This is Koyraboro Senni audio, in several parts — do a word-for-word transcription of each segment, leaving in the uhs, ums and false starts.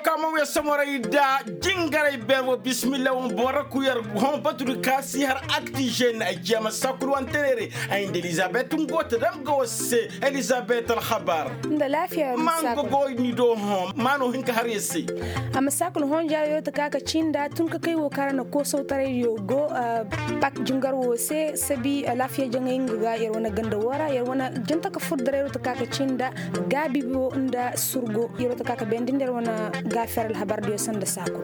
Ka ma wiya somoray da jingaray beer wo bismillah wo boraku yer hõ batudi ka si har aktijen ay ciya ma sakul wante neere. Ay nda elizabet ngo ta dam ga wo se. Elizabet alhabar. Nda laafiya ma nga go ni do hõ ma no hin ka har yer se. A ma sakul hõ jaaro yer ta ka ka cinda tun ka kay wo kaŋ ra na koosawtaray yo go. Pak jingar wo se sabi laafiya jaŋay nga ga yer wane ganda wo ra yer wane janta ka fur daray yer wo ta ka ka cinda gaabi wo nda surgo yer wo ta ka ka bayandi nda yer wane gaafeer alhabar diyo sanda saako.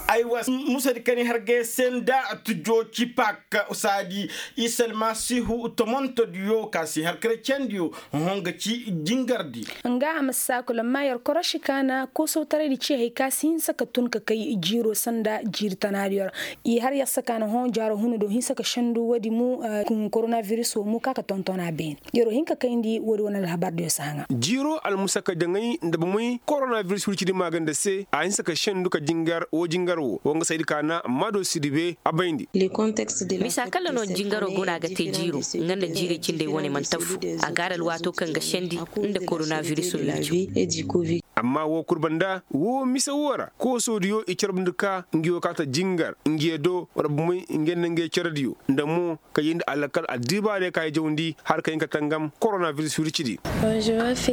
Aywa, musa di kani har ga yer se nda tujo ci pak saadi isa almasihu tomonto diyo ka si har karacendiyo. Hõ ga ci jingar di. Nga a ma saakul amma yer koroši ka na koosawtaray di ci hari ka si hinsa ka tun ka kay jiiro sanda jiiri tanaadiyo ra. I har yer se ka na hõ jaaro huna do hinsa ka sendu woodi mo. Koronabiris wo mo ka ka tonton a beene. Yeroo hin ka kayndi woodi wane alhabar diyo si haŋa. Jiiroo almusaka jaŋay nda bomey koronabiris wircidi maaganda se a hinsa ka sendu ka jingar woo jingar woo wa nga saydi ka na maado sirbe a bayndi. Misa kalla no jingaroo guna ga te jiiroo nga nda jiirey cindey wane mana tafu. A ga har alwaatoo kaŋ ga sendi nda koronabiris wirco. Amma woo kul banda woo mise woo ra koosoo diyo i carbundi ka ngi woo kaata jingar ngi yee do wala bomey ngi yee nda ngey cere diyo nda mo ka yee nda alakal addibaarey ka i jawndi har ka hin ka tangam koronabiris wircidi.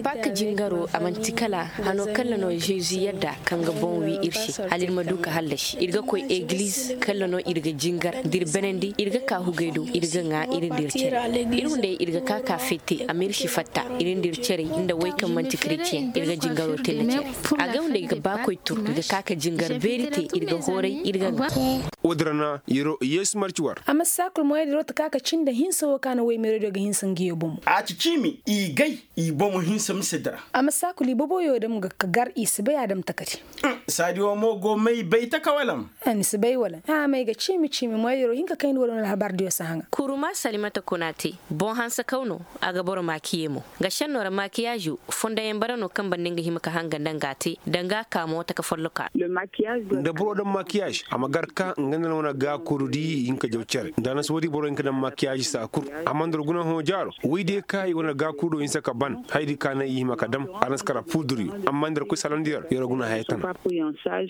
Pak jingaroo a man'ti kala hano kalla no žezi yadda kaŋ ga boŋ wii ir se hala ir ma du ka hallasi ir ga koy egiliz kalla no ir ga jingar da ir benandi ir ga ka hugey do ir ga ŋaa ir nda ir cere. Ir wunday ir ga ka ka feete amma ir si fatta ir nda ir cerey nda wey kaŋ man'ti kretiyeŋ ir ga jingaroo te nda cere. A ga wunday ga baakoy tur ir ga ka ka jingar beeri te ir ga hooray ir ga ŋaa. Woo din ra na yeroo yeesu marci war. A ma saakul moyadiro ta ka ka cin nda hinsa woo ka na woy meeradiyo ga hinsa nga yoo bomo. A ci ciimi i gay i bomo hinsa mise dira. A ma saakul i boboyoo dam ga ka gar i si bay a dam takati. Saadi woo mo go may bay taka wala ma? Ni si bay wala? May ga ciimi ciimi moyadiro hinka kayndi wala wala habar diyo si haŋa. Kuruma salimata kuna te boŋ hanse kaw no. A ga boro makiye mo nga šennoo ra makiyaazoo fondayaŋ bara no kaŋ banda nga hima ka hanga nda nga a te danga a ka mo taka folloka. Nda boro daŋ makiyaaz a ma gar ka nga nda na wane gaakurudi i hin ka jaw cere nda a na si woodi boro hin ka daŋ makiyaaz saa kul. Amma nda war guna hõ jaaro woydiyo ka i wane gaakurudoo hinsa ka ban hayadi ka naŋ i hima ka daŋ a na si kara puudur yo amma nda war koy salandiyo ra yer war guna haya tana.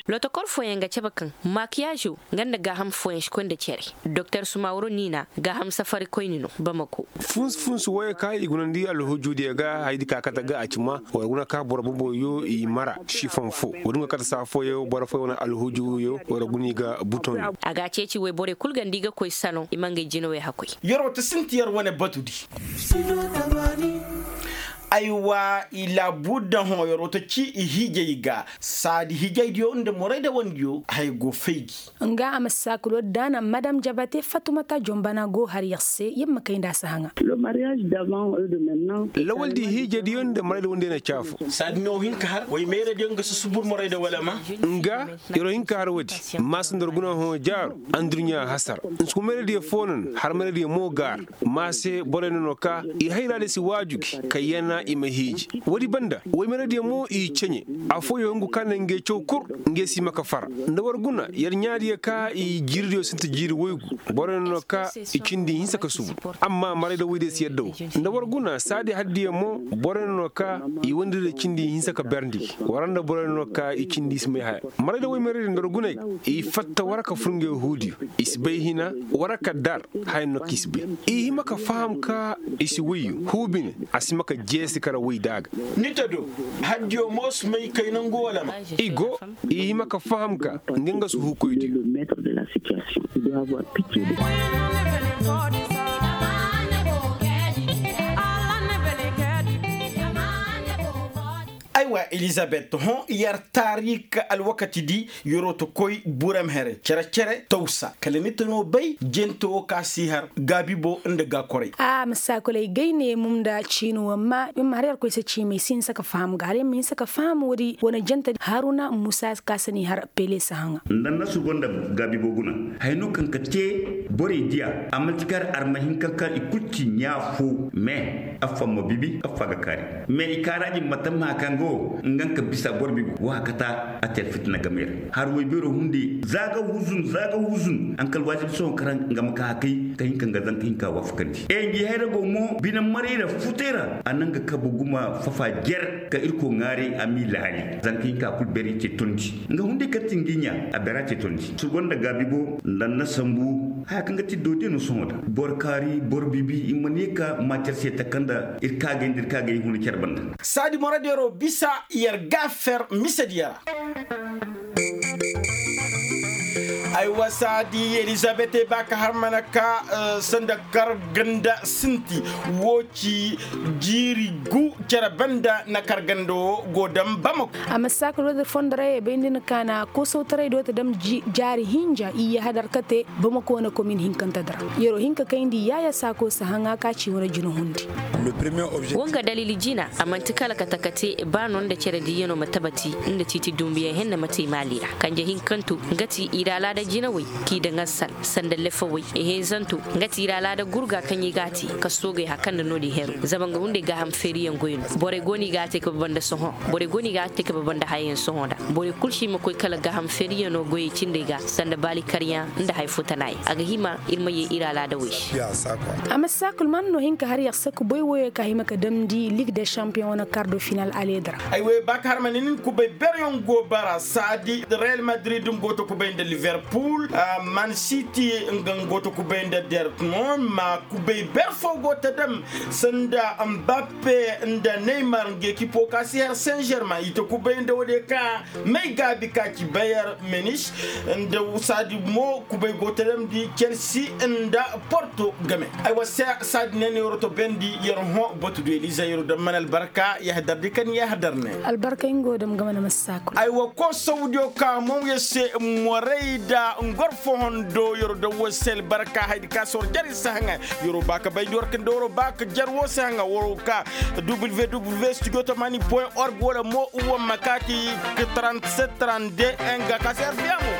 Lotokor fooyaŋ ga cabe kaŋ makiyaazoo nga nda gaaham fooyaŋ si koy nda cere. Doktor sumaworo niina gaaham safari koyni no bamako. Funsu funsu wooyo ka i gunandi alhujuudiyo ga hayadi ka kate ga a ci ma war guna ka boro boboyo i mara sifoŋ fo. Woo din go kate saa fooyo boro fooyo wane alhujuuyo war guna i ga butoŋ. A ga a ceeci woy borey kul ganda i ga koy saloŋ i ma ngey jinawey hakoy. Yeroo ta sinti yer wane batudi. Aywa i laabuudda hõ yeroo ta ci i hiijey ga. Saadi hiijeydiyo nda moraydawandiyo haya go fay gi. Nga a ma saakuloo daana madam jabate fatumata jonbana go har yer se yer ma kay nda a si haŋa. Lawaldi hiijediyo nda moraydawandiyo na caafo. Saadi no hin ka har woy meeradiyo nga si subur morayda wala ma. Nga yeroo hin ka har woodi maasa nda war guna hõ jaaro. Adduɲɲa hasara nsuku meeradiyo foo no na har meeradiyo mo gaara. Ma se borey no no ka i hayraadiyo si waaju gi ka yana i ma hiiji. Woodi banda woy meeradiyo mo i ceɲe. Afooyo hungu ka na ngey caw kul ngey si hima ka fara nda war guna yer ɲaadiyo ka i jiiridiyo sinti jiiri woygu. Borey no no ka i cindi hinsa ka subu. Amma marayda woydiyo si yadda woo nda war guna saadi haddiyo mo. Borey no no ka i wandiridiyo cindi hinsa ka berndi gi war nda borey no no ka i cindi i si may haya. Marayda woy meeradiyo nda war guney i fatta war ka fur ngey huudiyo. I si bay hina war ka dar haya no ka i si bay. I hima ka faham ka i si woyyo huu bine. A si hima ka jeesi kara woy da a ga. Ni ta do haddiyo mo si may kay nangu wala ma. I go i hima ka faham ka nga nga si huukoydiyo. Aywa elizabet hõ yer taarik alwakatidi. Yeroo ta koy burem here cere cere tawsa kala ni ta noo bay jente woo ka si har gaabibo nda gaakoray. A ma saakulay gay ne mum nda ciini woo amma yer ma har yer koy se ciimay si hinsa ka faham ga hala yer ma hinsa ka faham woodi wane jente haruna muusa ka si ni har pele si haŋa. Nda nasu go nda gaabibo guna haya no kaŋ ka te borey diya a man'ti kar arma hinka kaŋ i kul ci ɲaa foo mais affa ma bibi affa ga kaari. Mais i kaaraaji ma tamma kaŋ ga Nga nga ka bisa boro bibi wa kata a te alfitina game ra. Har woy beero hunde za ga huzun za ga huzun ankal waajib sohõ karaŋ nga ma ka hakay ka hin ka nga zanka hinka waafakandi e ngi hayra go mo bine maray ra futay ra a na nga kabu guma fafa jer ka irko ŋaaray a m'i laali zanka hinka kul beeri te tondi. Nga hunde kaŋ ti ngi ɲa a beera te tondi si gonda gaabi bo nda na sambu haya kaŋ ga ti doodey no sohõ da boro kaari boro bibi i ma ne ka maacer se taka nda ir kaagay nda ir kaagay huna care banda. Saadi moradiyaroo bisa yer gaafer misediya ra. Ay wa saadi elizabete ba ka har mana ka sanda karganda sinti woo ci jiiri gu cere banda na karganda woo go dam bamako. A ma saakul woo da fondo ra ye bay nda ni kaana koosawtaray do ta dam jaari hinja iyye hadar kate bamako wane komin hinkante dira. Yeroo hin ka kayndi yaaya saako si haŋa ka ci wane jina hundi. Woo nga daliili jina a man'ti kala kate kate ba no nda cere diiyanoo ma tabati nda tiiti dumbuyaŋ henne ma te maali ra kanje hinkantu nga ti ir alaada jinawey k'i daŋ assal sanda lefawey ihinzantu nga ti ir alaada gurga kaŋ i g'a te ka soogey haka nda no-din heru zama nga hunday gaaham feeriyaŋ goy no borey go no i g'a te ka baba nda sohõ borey go no i g'a te ka baba nda hayayaŋ sohõ nda borey kul se i ma koy kala gaaham feeriyaŋo goyey cindey ga sanda baali karyaŋ nda hay fo tanayaŋ a ga hima ir ma yee ir alaadawey se. A ma saakul man no hin ka har yer saku boy woyoo ka hima ka damndi lig de shampiyoŋ wane kardo final aleeda ra. Ay wey ba ka har ma ne nin kubay beryoŋ go bara saadi real madrid nga go ta kubay nda liverpul, man siti nga nga go ta kubay nda dertmon ma kubay ber foo go ta dam sanda mbappe nda neymar nga ekipo ka si har saint germain i ta kubay nda woodiyo ka may gaabi ka ci bayer menis nda saadi mo kubay go ta damndi chelsea nda porto game. Ay wa saadi ne ne yoro to bendi yer hõ batu du eliza yoro da man albarka yahdar di kan yahdar ne. Albarka ingo dam game na masakul. Ay wa ko saudiyo ka mo ya se moray da ngor fohondo yoro da wasel barka haydi ka sor jari sahaŋa. Yoro ba ka bay di war kan da woro ba ka jar wo sahaŋa woro ka www studio tamani point org wala mo uwa makati. Trente-sept trente-deux enga ka se arfiya mo.